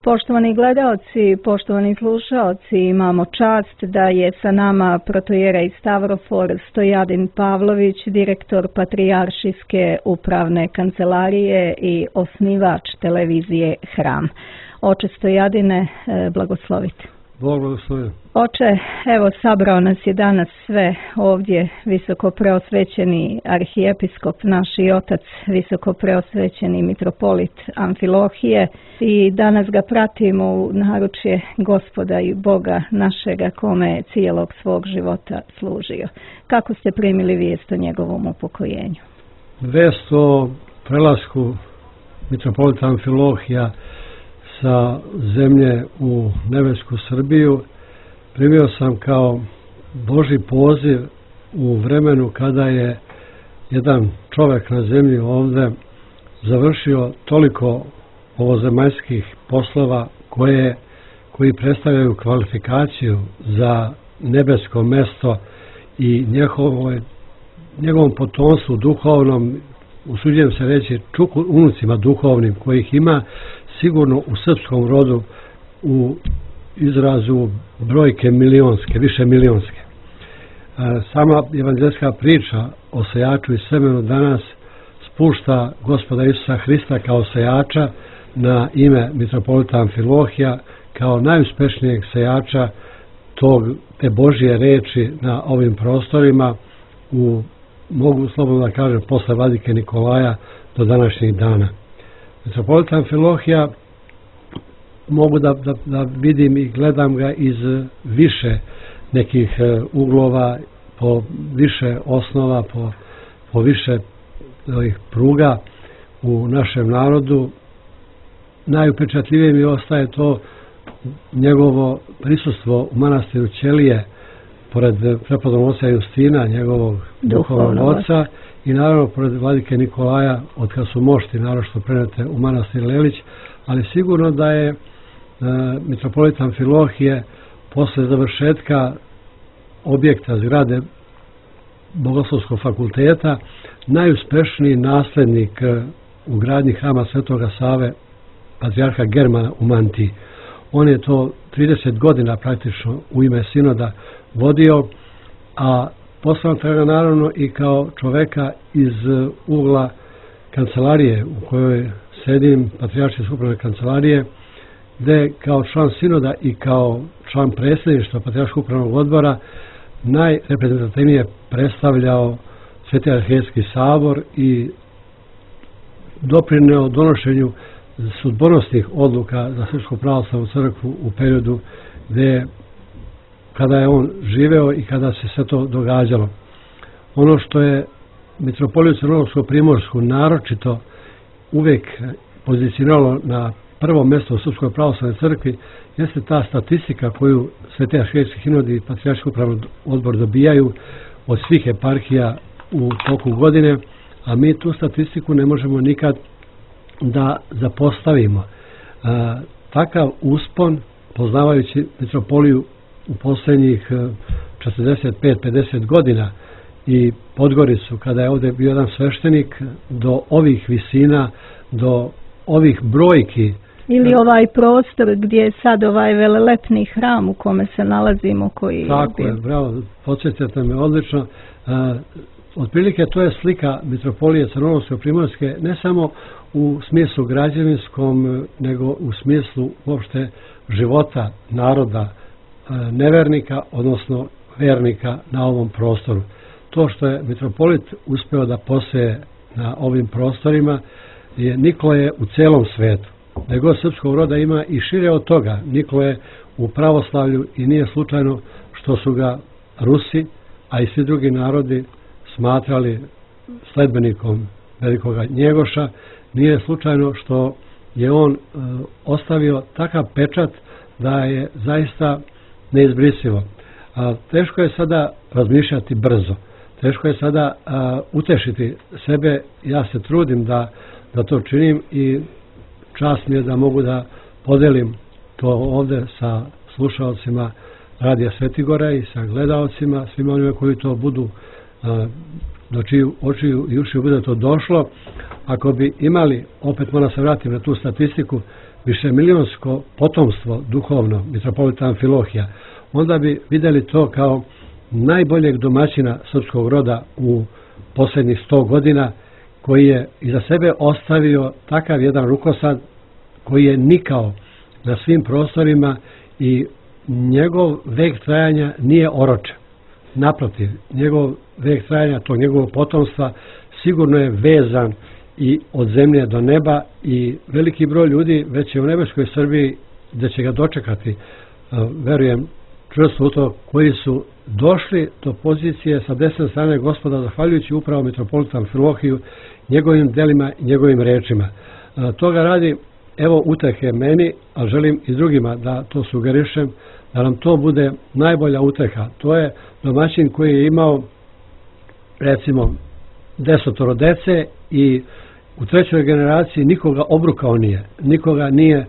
Poštovani gledaoci, poštovani slušaoci, imamo čast da je sa nama protoijerej Stavrofor Stojadin Pavlović, direktor Patrijaršijske upravne kancelarije i osnivač televizije Hram. Oče Stojadine, blagoslovite. Bog blagoslovi. Oče, evo sabrao nas je danas sve ovdje visoko preosvećeni arhijepiskop, naš i otac, visoko preosvećeni mitropolit Amfilohije, i danas ga pratimo u naručje Gospoda i Boga našega, kome je cijelog svog života služio. Kako ste primili vijest o njegovom upokojenju? Vijest o prelasku mitropolita Amfilohija sa zemlje u nebesku Srbiju primio sam kao Božji poziv u vremenu kada je jedan čovjek na zemlji ovdje završio toliko ovozemaljskih poslova koji predstavljaju kvalifikaciju za nebesko mesto i njegovom potomstvu duhovnom, usuđujem se reći unucima duhovnim kojih ima sigurno u srpskom rodu u izrazu brojke milionske, više milionske. Sama evanđelska priča o sejaču i semenu danas spušta Gospoda Isusa Hrista kao sejača na ime mitropolita Amfilohija kao najuspešnijeg sejača te Božje reči na ovim prostorima mogu slobodno da kažem posle vladike Nikolaja do današnjih dana. Mitropolita Amfilohija mogu da vidim i gledam ga iz više nekih uglova, po više osnova, po više pruga u našem narodu. Najupečatljivije mi ostaje to njegovo prisustvo u manastiru Ćelije pored prepodobnog oca Justina, njegovog duhovnog oca, i naravno pored vladike Nikolaja, od kad su mošti naročito prenete u manastir Lelić, ali sigurno da je mitropolit Amfilohije posle završetka objekta zgrade Bogoslovskog fakulteta najuspešniji naslednik u gradnji hrama Svetoga Save, patrijarha Germana u Mantiji. On je to 30 godina praktično u ime sinoda vodio, a posmatram ga naravno i kao čoveka iz ugla kancelarije u kojoj sedim, Patrijaršijske upravne kancelarije, gde kao član sinoda i kao član predsjedništva Patrijarškog upravnog odbora najreprezentativnije predstavljao Sveti arhijejski sabor i doprineo donošenju sudbonosnih odluka za Srpsku pravoslavnu crkvu u periodu kada je on živeo i kada se sve to događalo. Ono što je mitropoliju Crnogorsko-primorsku naročito uvijek pozicioniralo na prvo mjesto u Srpskoj pravoslavnoj crkvi jeste ta statistika koju Sveti arhijejski sinod i Patrijarški upravni odbor dobijaju od svih eparhija u toku godine, a mi tu statistiku ne možemo nikad da zapostavimo. Takav uspon, poznavajući mitropoliju u posljednjih 45-50 godina i Podgoricu, kada je ovdje bio jedan sveštenik, do ovih visina, do ovih brojki. Ili ovaj prostor gdje je sad ovaj velelepni hram u kome se nalazimo. Tako je, bravo, podsjećate me odlično. Otprilike to je slika mitropolije Crnogorsko-primorske ne samo u smislu građevinskom, nego u smislu uopšte života naroda nevernika, odnosno vernika na ovom prostoru. To što je mitropolit uspeo da poseje na ovim prostorima niko je u celom svetu. Nego srpskog roda ima i šire od toga. Niko je u pravoslavlju i nije slučajno što su ga Rusi, a i svi drugi narodi smatrali sledbenikom velikoga Njegoša. Nije slučajno što je on ostavio takav pečat da je zaista neizbrisivo. Teško je sada razmišljati brzo. Teško je sada utešiti sebe. Ja se trudim da to činim i čast mi je da mogu da podelim to ovdje sa slušalcima Radija Svetigora i sa gledaocima, svima onima koji to budu, do čiju očiju i ušiju bude to došlo. Ako bi imali, opet moram se vratiti na tu statistiku, višemilionsko potomstvo duhovno mitropolita Amfilohija, onda bi vidjeli to kao najboljeg domaćina srpskog roda u posljednjih 100 godina, koji je iza sebe ostavio takav jedan rukosad koji je nikao na svim prostorima i njegov vek trajanja nije oročen. Naprotiv, njegov vek trajanja tog njegovog potomstva sigurno je vezan i od zemlje do neba i veliki broj ljudi već je u nebeskoj Srbiji gdje će ga dočekati, verujem čvrsto u to, koji su došli do pozicije sa desne strane Gospoda zahvaljujući upravo mitropolitu Amfilohiju, njegovim delima i njegovim rečima. Toga radi, evo utehe meni, a želim i drugima da to sugerišem, da nam to bude najbolja uteha. To je domaćin koji je imao recimo 10 dece i u 3. generaciji nikoga obrukao nije, nikoga nije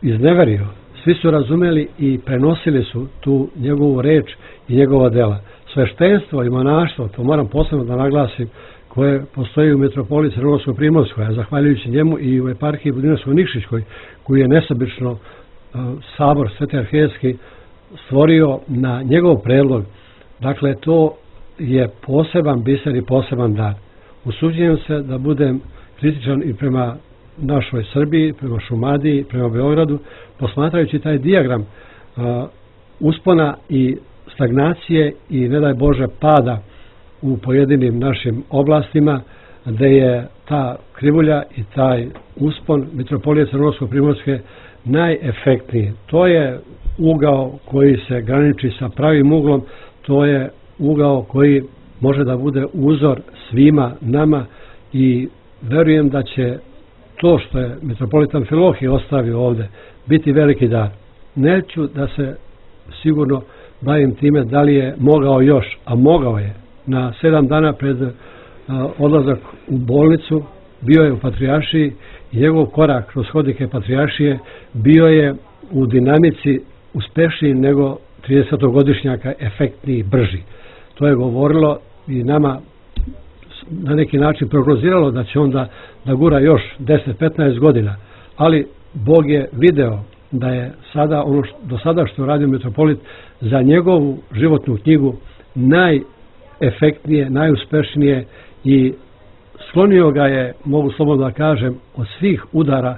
izneverio. Svi su razumeli i prenosili su tu njegovu reč i njegova dela. Sveštenstvo i monaštvo, to moram posebno da naglasim, koje postoji u metropoliji Crnogorsko-Primorskoj, a zahvaljujući njemu i u eparhiji Budinarsko-Nikšićkoj, koji je nesebično sabor Sveti Arhijejski stvorio na njegov predlog. Dakle, to je poseban biser i poseban dar. Usuđujem se da budem kritičan i prema našoj Srbiji, prema Šumadiji, prema Beogradu, posmatrajući taj dijagram uspona i stagnacije i, ne daj Bože, pada u pojedinim našim oblastima, gde je ta krivulja i taj uspon mitropolije Crnogorsko-Primorske najefektniji. To je ugao koji se graniči sa pravim uglom, to je ugao koji može da bude uzor svima nama i verujem da će to što je mitropolit Amfilohije ostavio ovde biti veliki dar. Neću da se sigurno bavim time da li je mogao još, a mogao je. Na 7 dana pred odlazak u bolnicu bio je u Patrijaršiji i njegov korak kroz hodnike Patrijaršije bio je u dinamici uspešniji nego 30-godišnjaka, efektniji, brži. To je govorilo i nama na neki način prognoziralo da će onda da gura još 10-15 godina, ali Bog je video da je sada ono do sada što je radio mitropolit za njegovu životnu knjigu najefektnije, najuspešnije i sklonio ga je, mogu slobodno da kažem, od svih udara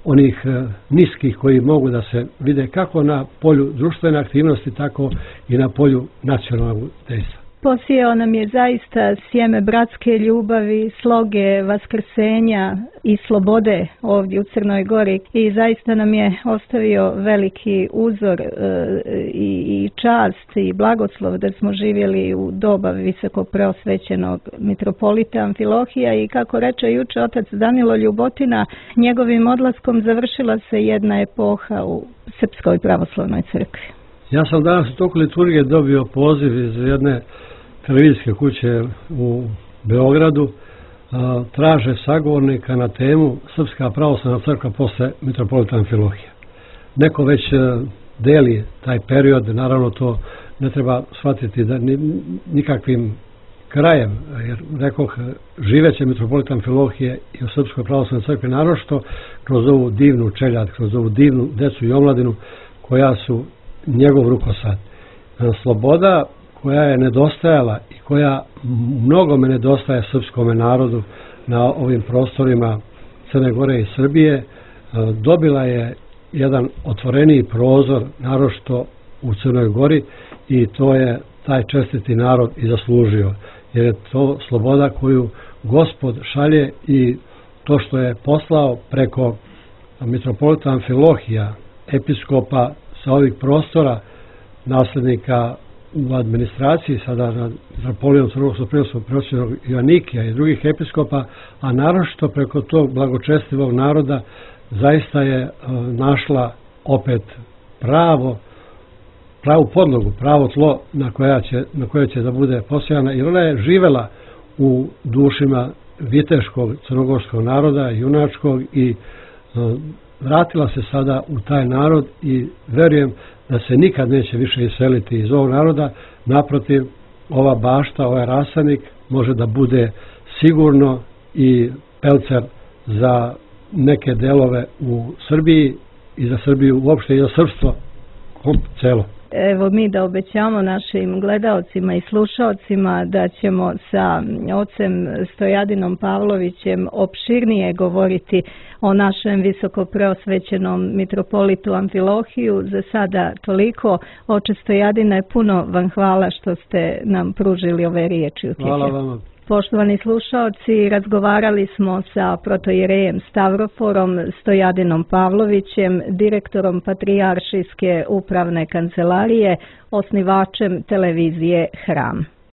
onih niskih koji mogu da se vide kako na polju društvene aktivnosti, tako i na polju nacionalnog dejstva. Posijao nam je zaista sjeme bratske ljubavi, sloge, vaskrsenja i slobode ovdje u Crnoj Gori i zaista nam je ostavio veliki uzor i čast i blagoslov da smo živjeli u doba visoko preosvećenog mitropolita Amfilohija i kako reče juče otac Danilo Ljubotina, njegovim odlaskom završila se jedna epoha u Srpskoj pravoslavnoj crkvi. Ja sam danas u toku liturgije dobio poziv iz jedne televizijske kuće u Beogradu, traže sagovornika na temu Srpska pravoslavna crkva posle mitropolita Amfilohija. Neko već deli taj period, naravno to ne treba shvatiti da nikakvim krajem, jer rekoh, živeće mitropolita Amfilohije i u Srpskoj pravoslavnoj crkvi, naročito kroz ovu divnu čeljad, kroz ovu divnu decu i omladinu koja su njegov rukosad. Sloboda koja je nedostajala i koja mnogome nedostaje srpskome narodu na ovim prostorima Crne Gore i Srbije, dobila je jedan otvoreniji prozor, naročito u Crnoj Gori, i to je taj čestiti narod i zaslužio. Jer je to sloboda koju Gospod šalje i to što je poslao preko mitropolita Amfilohija, episkopa sa ovih prostora, naslednika u administraciji, sada na mitropolijom Crnogorsko-Primorskog preosvećenog Joanikija i drugih episkopa, a naročito preko tog blagočestivog naroda zaista je našla opet pravu podlogu, pravo tlo na koje će da bude posejana, jer ona je živela u dušima viteškog crnogorskog naroda, junačkog, i vratila se sada u taj narod i verujem da se nikad neće više iseliti iz ovog naroda. Naprotiv, ova bašta, ovaj rasadnik može da bude sigurno i pelcer za neke delove u Srbiji i za Srbiju uopšte i za srpstvo celo. Evo mi da obećamo našim gledaocima i slušaocima da ćemo sa ocem Stojadinom Pavlovićem opširnije govoriti o našem visokopreosvećenom mitropolitu Amfilohiju. Za sada toliko. Oče Stojadine, puno vam hvala što ste nam pružili ove riječi utjehe. Hvala vama. Poštovani slušaoci, razgovarali smo sa protojerejem Stavroforom Stojadinom Pavlovićem, direktorom Patrijaršijske upravne kancelarije, osnivačem televizije Hram.